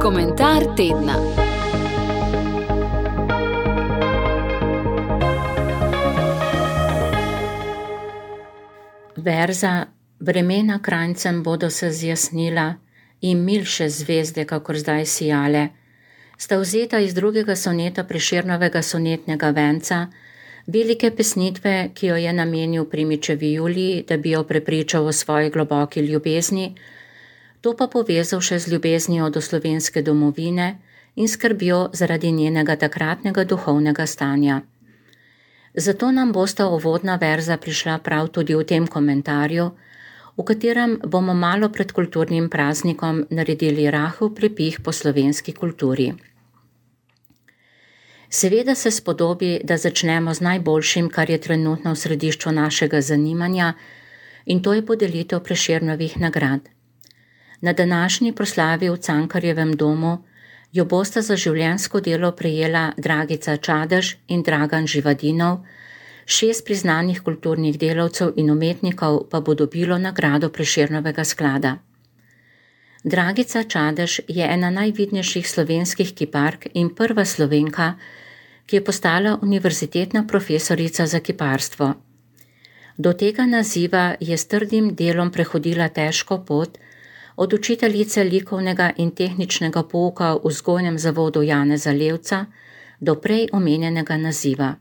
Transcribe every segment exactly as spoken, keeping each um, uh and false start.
Komentar tedna. Verza: vremena kranjcem bodo se zjasnila in milše zvezde, kakor zdaj sijale, sta vzeta iz drugega soneta Prešernovega sonetnega venca, velike pesnitve, ki jo je namenil Primičevi Juliji, da bi jo prepričal o svoji globoki ljubezni, to pa povezal še z ljubeznijo do slovenske domovine in skrbjo zaradi njenega takratnega duhovnega stanja. Zato nam bosta uvodna verza prišla prav tudi v tem komentarju, v katerem bomo malo pred kulturnim praznikom naredili rahel prepih po slovenski kulturi. Seveda se spodobi, da začnemo z najboljšim, kar je trenutno v središču našega zanimanja, in to je podelitev Prešernovih nagrad. Na današnji proslavi v Cankarjevem domu jo bosta za življenjsko delo prejela Dragica Čadež in Dragan Živadinov, šest priznanih kulturnih delavcev in umetnikov pa bo dobilo nagrado Prešernovega sklada. Dragica Čadež je ena najvidnejših slovenskih kipark in prva Slovenka, ki je postala univerzitetna profesorica za kiparstvo. Do tega naziva je s trdim delom prehodila težko pot, od učiteljice likovnega in tehničnega pouka v vzgojnem zavodu Janeza Levca do prej omenjenega naziva.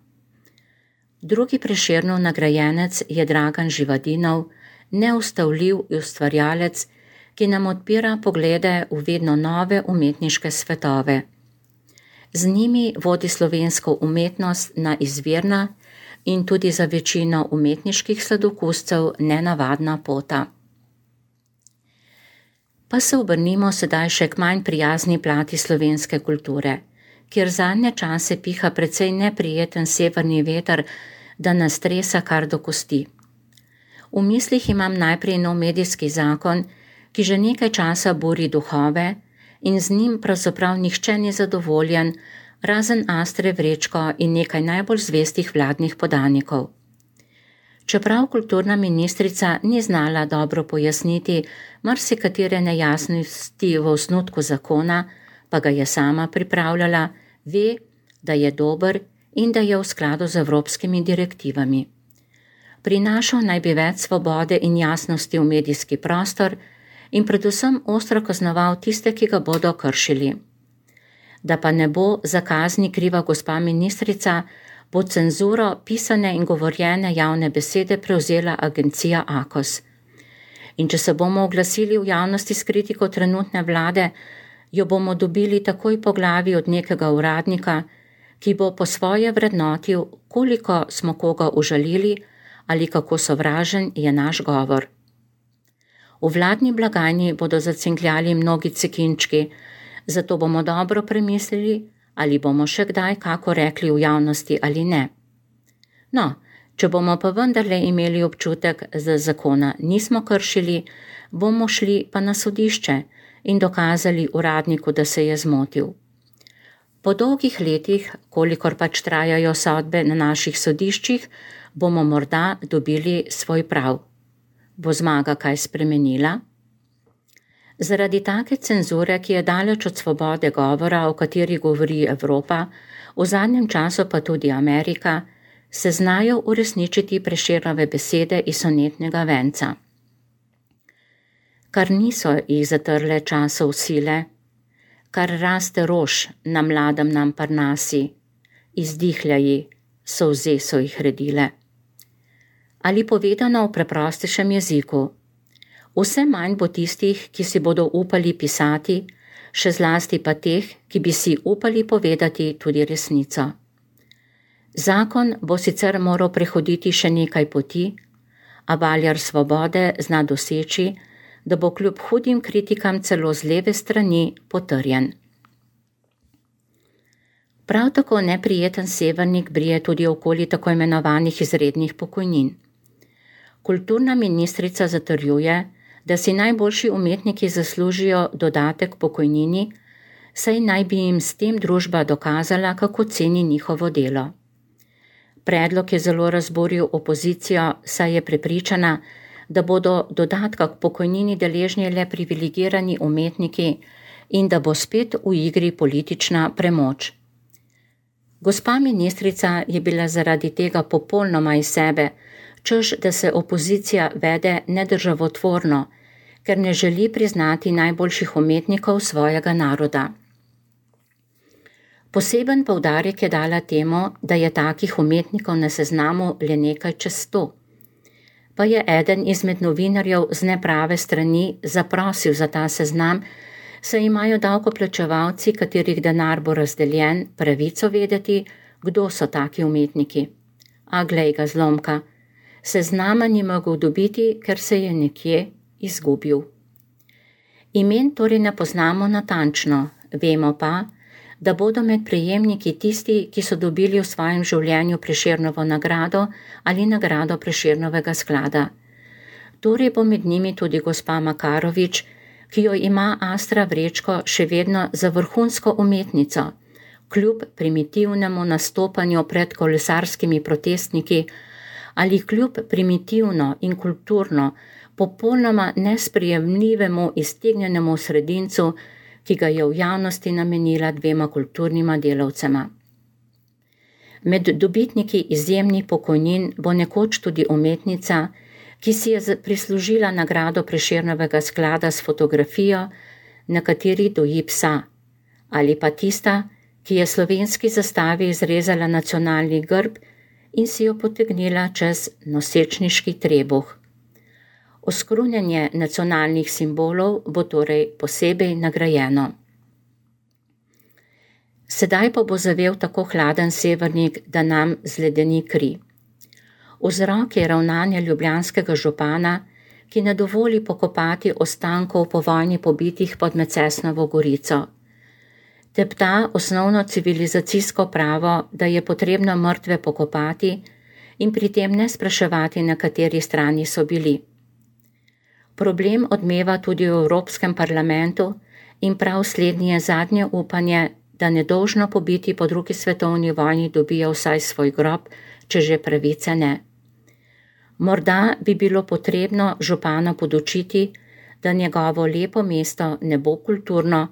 Drugi Prešernov nagrajenec je Dragan Živadinov, neustavljiv ustvarjalec, ki nam odpira poglede v vedno nove umetniške svetove. Z njimi vodi slovensko umetnost na izvirna in tudi za večino umetniških sladokuscev nenavadna pota. Pa se obrnimo sedaj še k manj prijazni plati slovenske kulture, kjer zadnje čase piha precej neprijeten severni veter, da nas tresa kar do kosti. V mislih imam najprej nov medijski zakon, ki že nekaj časa buri duhove in z njim pravzaprav nihče ni zadovoljen, razen Astre Vrečko in nekaj najbolj zvestih vladnih podanikov. Čeprav kulturna ministrica ni znala dobro pojasniti marsikatere nejasnosti v osnutku zakona, pa ga je sama pripravljala, ve, da je dober in da je v skladu z evropskimi direktivami. Prinašal naj bi več svobode in jasnosti v medijski prostor in predvsem ostro kaznoval tiste, ki ga bodo kršili. Da pa ne bo za kazni kriva gospa ministrica, bo cenzuro pisane in govorjene javne besede prevzela agencija Akos. In če se bomo oglasili v javnosti s kritiko trenutne vlade, jo bomo dobili takoj po glavi od nekega uradnika, ki bo po svoje vrednotil, koliko smo koga užalili ali kako sovražen je naš govor. V vladni blagajni bodo zacinkljali mnogi cekinčki, zato bomo dobro premislili, ali bomo še kdaj kako rekli v javnosti ali ne. No, če bomo pa vendarle imeli občutek, da zakona nismo kršili, bomo šli pa na sodišče in dokazali uradniku, da se je zmotil. Po dolgih letih, kolikor pač trajajo sodbe na naših sodiščih, bomo morda dobili svoj prav. Bo zmaga kaj spremenila? Zaradi take cenzure, ki je daleč od svobode govora, o kateri govori Evropa, v zadnjem času pa tudi Amerika, se znajo uresničiti Prešernove besede iz sonetnega venca. Kar niso jih zatrle časov sile, kar raste rož na mladem nam parnasi, izdihljaji, solze so jih redile. Ali povedano v preprostejšem jeziku, vse manj bo tistih, ki si bodo upali pisati, še zlasti pa teh, ki bi si upali povedati tudi resnico. Zakon bo sicer moral prehoditi še nekaj poti, a valjar svobode zna doseči, da bo kljub hudim kritikam celo z leve strani potrjen. Prav tako neprijeten severnik brije tudi okoli tako imenovanih izrednih pokojnin. Kulturna ministrica zatrjuje, da si najboljši umetniki zaslužijo dodatek pokojnini, saj naj bi jim s tem družba dokazala, kako ceni njihovo delo. Predlog je zelo razburil opozicijo, saj je prepričana, da bodo dodatka k pokojnini deležni le privilegirani umetniki in da bo spet v igri politična premoč. Gospa ministrica je bila zaradi tega popolnoma iz sebe, češ da se opozicija vede nedržavotvorno, ker ne želi priznati najboljših umetnikov svojega naroda. Poseben poudarek je dala temu, da je takih umetnikov na seznamu le nekaj čez sto. Pa je eden izmed novinarjev z neprave strani zaprosil za ta seznam, saj imajo davkoplačevalci, katerih denar bo razdeljen, pravico vedeti, kdo so taki umetniki. A glej ga zlomka, seznama ni mogel dobiti, ker se je nekje izgubil. Imen torej ne poznamo natančno, vemo pa, da bodo med prejemniki tisti, ki so dobili v svojem življenju Prešernovo nagrado ali nagrado Prešernovega sklada. Torej bo med njimi tudi gospa Makarovič, ki jo ima Astra Vrečko še vedno za vrhunsko umetnico, kljub primitivnemu nastopanju pred kolesarskimi protestniki ali kljub primitivno in kulturno, popolnoma nesprijemljivemu iztegnjenemu sredincu, ki ga je v javnosti namenila dvema kulturnima delavcema. Med dobitniki izjemnih pokojnin bo nekoč tudi umetnica, ki si je prislužila nagrado Prešernovega sklada s fotografijo, na kateri doji psa, ali pa tista, ki je slovenski zastavi izrezala nacionalni grb in si jo potegnila čez nosečniški trebuh. Oskrunjenje nacionalnih simbolov bo torej posebej nagrajeno. Sedaj pa bo zavel tako hladen severnik, da nam zledeni kri. Vzrok je ravnanje ljubljanskega župana, ki ne dovoli pokopati ostankov po vojni pobitih pod Mecesnovo Gorico. Tepta osnovno civilizacijsko pravo, da je potrebno mrtve pokopati in pri tem ne spraševati, na kateri strani so bili. Problem odmeva tudi v Evropskem parlamentu in prav slednje je zadnje upanje, da nedolžno pobiti po drugi svetovni vojni dobijo vsaj svoj grob, če že pravice ne. Morda bi bilo potrebno župana podučiti, da njegovo lepo mesto ne bo kulturno,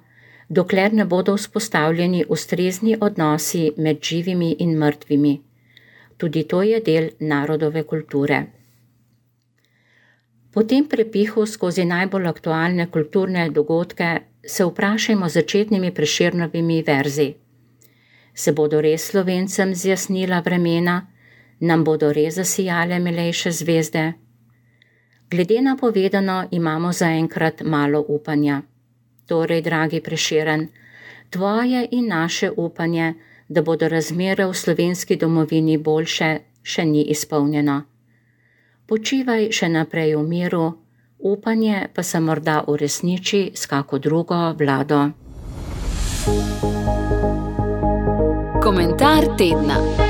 dokler ne bodo vzpostavljeni ustrezni odnosi med živimi in mrtvimi. Tudi to je del narodove kulture. Po tem prepihu skozi najbolj aktualne kulturne dogodke se vprašajmo začetnimi Prešernovimi verzi. Se bodo res Slovencem zjasnila vremena, nam bodo res zasijale milejše zvezde? Glede na povedano imamo zaenkrat malo upanja. Torej, dragi Prešeren, tvoje in naše upanje, da bodo razmere v slovenski domovini boljše, še ni izpolnjeno. Počivaj še naprej v miru, upanje pa se morda uresniči s kako drugo vlado. Komentar tedna.